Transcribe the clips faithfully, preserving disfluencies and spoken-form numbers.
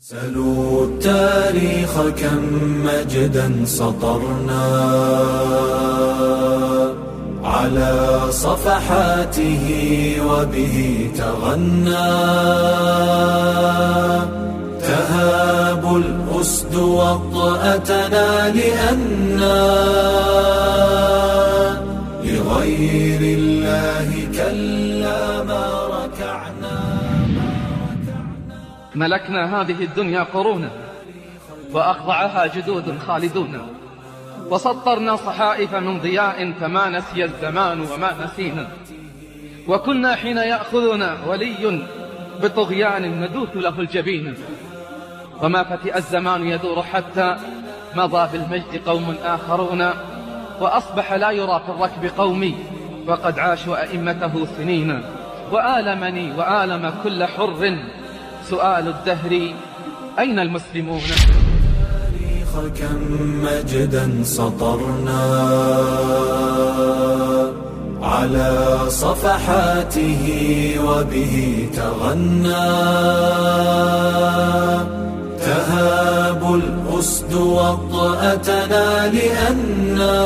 سلوا التاريخ كم مجدا سطرنا على صفحاته وبه تغنى تهاب الأسد وطأتنا لأنا لغير الله كلا ما ركعنا. ملكنا هذه الدنيا قرونا وأخضعها جدود خالدون، وسطرنا صحائف من ضياء فما نسي الزمان وما نسينا، وكنا حين يأخذنا ولي بطغيان ندوث له الجبين، وما فتئ الزمان يدور حتى مضى بالمجد قوم آخرون، وأصبح لا يرى في الركب قومي وقد عاشوا أئمته سنين. وآلمني وآلم كل حر سؤال الدهر أين المسلمون؟ كم مجدا سطرنا على صفحاته وبه تغنى تهاب الأسد وطأتنا لأننا.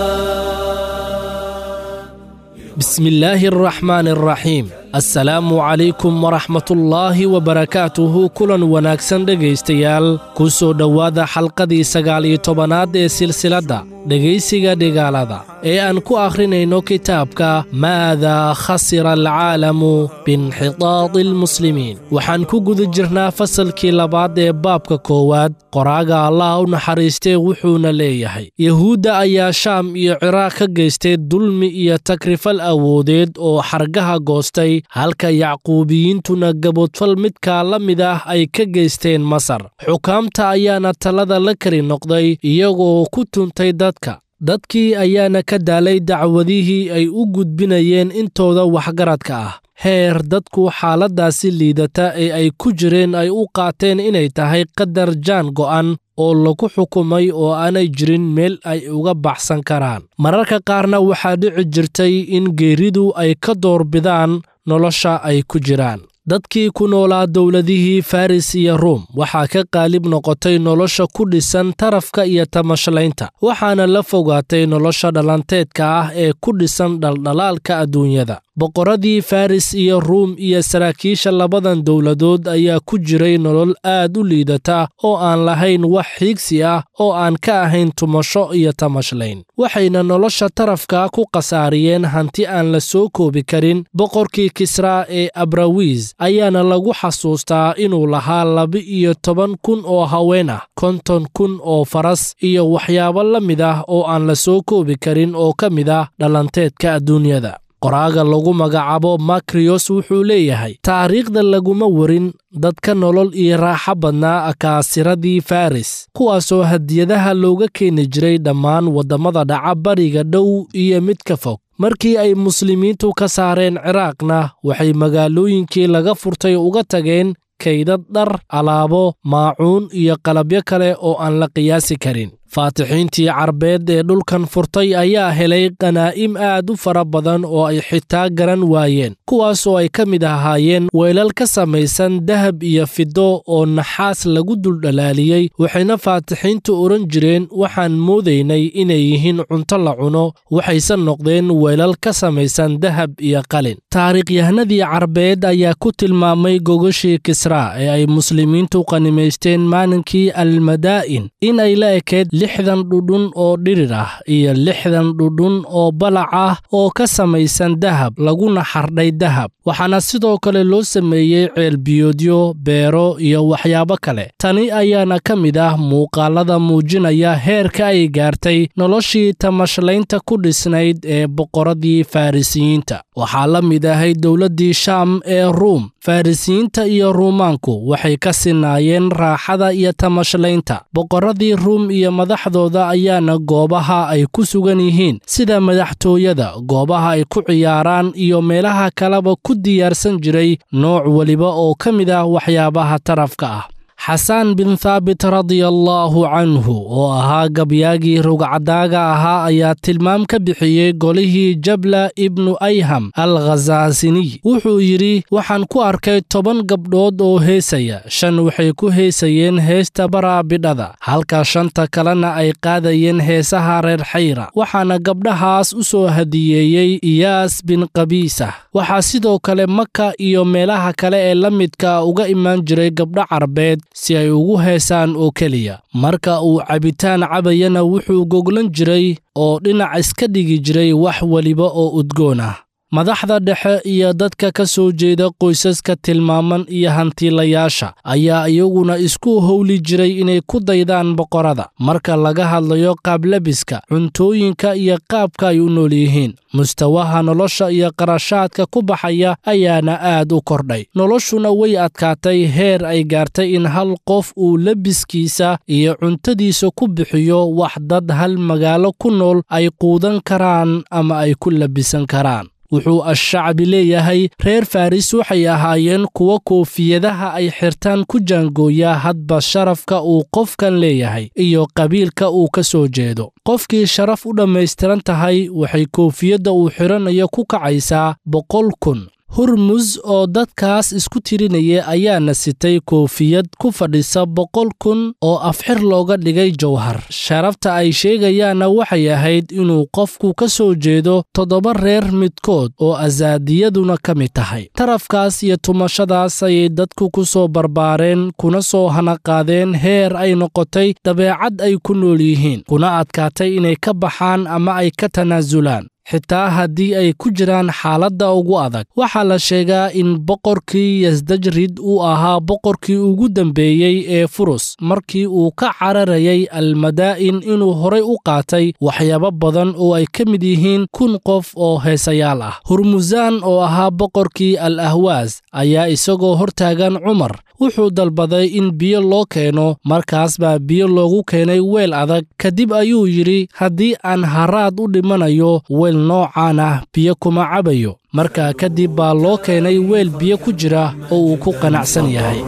بسم الله الرحمن الرحيم. Assalaamu calaykum waraxmatullaahi wabarakaatuhu. Kulan wanaagsan dhegaystayaal, ku soo dhowaada xalqadii sagaal iyo tobanaad ee silsiladda dhegaysiga dhigaalada ee aan ku akhrinayno kitaabka Maadaa khasira alcaalamu biinxitaadi almuslimiin. Waxaan ku guda jirnaa fasalkii labaad ee baabka koowaad. Qoraaga Allah u naxariistee wuxuuna leeyahay: Yahuudda ayaa Shaam iyo Ciraaq ka geystay dulmi iyo takrifal awoodeed oo xargaha goostay, halka Yacquubiyiintuna gaboodfal midkaa la mid ah ay ka geysteen Masar. Xukaamta ayaana talada la kari noqday iyagoo ku tuntay dadka. Dadkii ayaana ka daalay dacwadihii ay u gudbinayeen intooda waxgaradka ah, heer dadku xaaladdaasi liidata ee ay ku jireen ay u qaateen inay tahay qadar jaan go'an oo lagu xukumay oo aanay jirin meel ay uga baxsan karaan. Mararka qaarna waxaa dhici jirtay in geeridu ay ka doorbidaan nolosha ay ku jiraan. Dadkii ku noolaa dowladihii Faris iyo Ruum waxaa ka qaalib noqotay nolosha ku dhisan tarafka iyo tamashlaynta, waxaana la fogaatay nolosha dhalanteedka ah ee ku dhisan dhaldhalaalka adduunyada. Boqorradii Faris iyo Ruum iyo saraakiisha labadan dowladood ayaa ku jiray nolol aad u liidata oo aan lahayn wax xiigsi ah oo aan ka ahayn tumasho iyo tamashlayn. Waxayna nolosha tarafka ku khasaariyeen hanti aan la soo koobi karin. Boqorkii Kisraa ee Abrawiis ayaana lagu xasuustaa inuu lahaa laba iyo toban kun oo haween ah, konton kun oo faras iyo waxyaabo la mid ah oo aan la soo koobi karin oo ka mid ah dhalanteedka adduunyada. Qoraaga lagu magacaabo Makrios wuxuu leeyahay: taariikhda laguma warin dadka nolol iyo raaxo badnaa akaasiradii Faris, kuwaasoo hadiyadaha looga keeni jiray dhammaan waddamada dhaca bariga dhow iyo mid ka fog. Markii ay muslimiintu ka saareen Ciraaqna, waxay magaalooyinkii laga furtay uga tageen kaydad dhar, alaabo, maacuun iyo qalabyo kale oo aan la qiyaasi karin. Faatixiintii Carbeed ee dhulkan furtay ayaa helay qanaa'im aad u fara badan oo ay xitaa garan waayeen, kuwaasoo ay ka mid ahaayeen weelal ka samaysan dahab iyo fido oo naxaas lagu duldhalaaliyey. Waxayna faatixiintu odhan jireen: waxaan moodaynay inay yihiin cunto la cuno, waxayse noqdeen weelal ka samaysan dahab iyo qalin. Taariikhyahanadii Carbeed ayaa ku tilmaamay gogoshii Kisraa ee ay muslimiintu qanimaysteen maalinkii Almadaa'in in ay la ekeyd lixdan dhudhun oo dhirir ah iyo lixdan dhudhun oo balac ah oo ka samaysan dahab laguna xardhay dahab. Waxaana sidoo kale loo sameeyey ceelbiyoodyo, beero iyo waxyaabo kale. Tani ayaana ka mid ah muuqaalada muujinaya heerka ay gaartay noloshii tamashlaynta ku dhisnayd ee boqorradii Farisiyiinta. Waxaa la mid ahayd dowladdii Shaam ee Ruum. Farisiyiinta iyo Ruumaanku waxay ka sinaayeen raaxada iyo tamashlaynta. Boqorradii Ruum iyo madaxdooda ayaana goobaha ay ku sugan yihiin sida madaxtooyada, goobaha ay ku ciyaaraan iyo meelaha kaleba ku diyaarsan jiray nooc weliba oo ka mid ah waxyaabaha tarafka ah. Xasaan bin Thaabit radiallaahu canhu oo ahaa gabyaagii rugcadaaga ahaa ayaa tilmaam ka bixiyey golihii Jabla ibnu Ayham al Khasaasiniy. Wuxuu yidhi: waxaan ku arkay toban gabdhood oo heesaya, shan waxay ku heesayeen heesta baraabidhada, halka shanta kalena ay qaadayeen heesaha reer Xayra. Waxaana gabdhahaas u soo hadiyeeyey Iyaas bin Qabiisah. Waxaa sidoo kale Maka iyo meelaha kale ee la midka uga imaan jiray gabdho Carbeed si ay ugu heesaan oo keliya. Marka uu cabitaan cabayana wuxuu goglan jiray oo dhinac iska dhigi jiray wax weliba oo udgoon ah. Madaxda dhexe iyo dadka ka soo jeeda qoysaska tilmaaman iyo hantiilayaasha ayaa iyaguna isku howli jiray inay ku daydaan boqorada marka laga hadlayo qaablabiska, cuntooyinka iyo qaabka ay u nool yihiin. Mustawaha nolosha iyo qarashaadka ku baxaya ayaana aad u kordhay. Noloshuna way adkaatay heer ay gaartay in hal qof uu labiskiisa iyo cuntadiisa ku bixiyo wax dad hal magaalo ku nool ay quudan karaan ama ay ku labisan karaan. Wuxuu Ashacbi leeyahay reer Faris waxay ahaayeen kuwa koofiyadaha ay xirtaan ku jaangooya hadba sharafka uu qofkan leeyahay iyo qabiilka uu ka soo jeedo. Qofkii sharaf u dhammaystiran tahay waxay koofiyadda uu xiranayo ku kacaysaa boqol kun. Hurmuz oo dadkaas isku tirinaya ayaana sitay koofiyad ku fadhisa boqol kun oo afxir looga dhigay jawhar. Sharafta ay sheegayaanna waxay ahayd inuu qofku ka soo jeedo toddoba reer midkood oo asaadiyaduna ka mid tahay. Tarafkaas iyo tumashadaas ayay dadku ku soo barbaareen kuna soo hanaqaadeen heer ay noqotay dabeecad ay ku nool yihiin, kuna adkaatay inay ka baxaan ama ay ka tanaasulaan xitaa haddii ay ku jiraan xaaladda ugu adag. Waxaa la sheegaa in boqorkii Yasdajrid uu ahaa boqorkii ugu dambeeyey ee Furus markii uu ka cararayay Almadaa'in inuu horay u qaatay waxyaabo badan oo ay ka mid yihiin kun qof oo heesayaal ah. Hurmuzaan oo ahaa boqorkii Al Ahwaas ayaa isagoo hortaagan Cumar wuxuu dalbaday in biyo loo keeno. Markaas baa biyo loogu keenay weel adag. Kadib ayuu yidhi: haddii aan haraad u dhimanayo weel noocaan ah biyo kuma cabayo. Markaa kadib baa loo keenay weel biyo ku jira oo uu ku qanacsan yahay.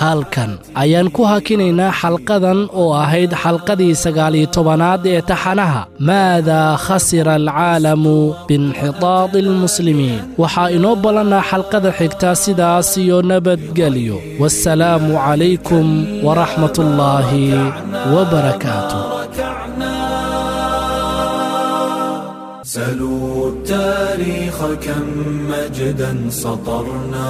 Halkan ayaan ku hakinaynaa xalqadan oo ahayd xalqadii sagaal iyo tobanaad ee taxanaha Maadaa khasira alcaalamu biinxitaadi almuslimiin. Waxaa inoo ballannaa xalqada xigta, sidaas iyo nabadgelyo. Wassalaamu calaykum waraxmatullaahi wabarakaatu. سلوا التاريخ كم مجدا سطرنا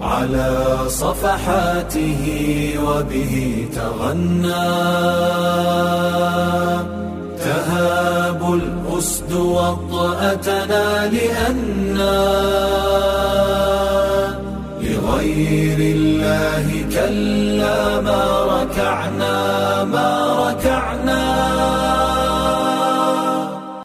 على صفحاته وبه تغنى، تهاب الأسد وطأتنا لأنا لغير الله كلا ما ركعنا ما ركعنا.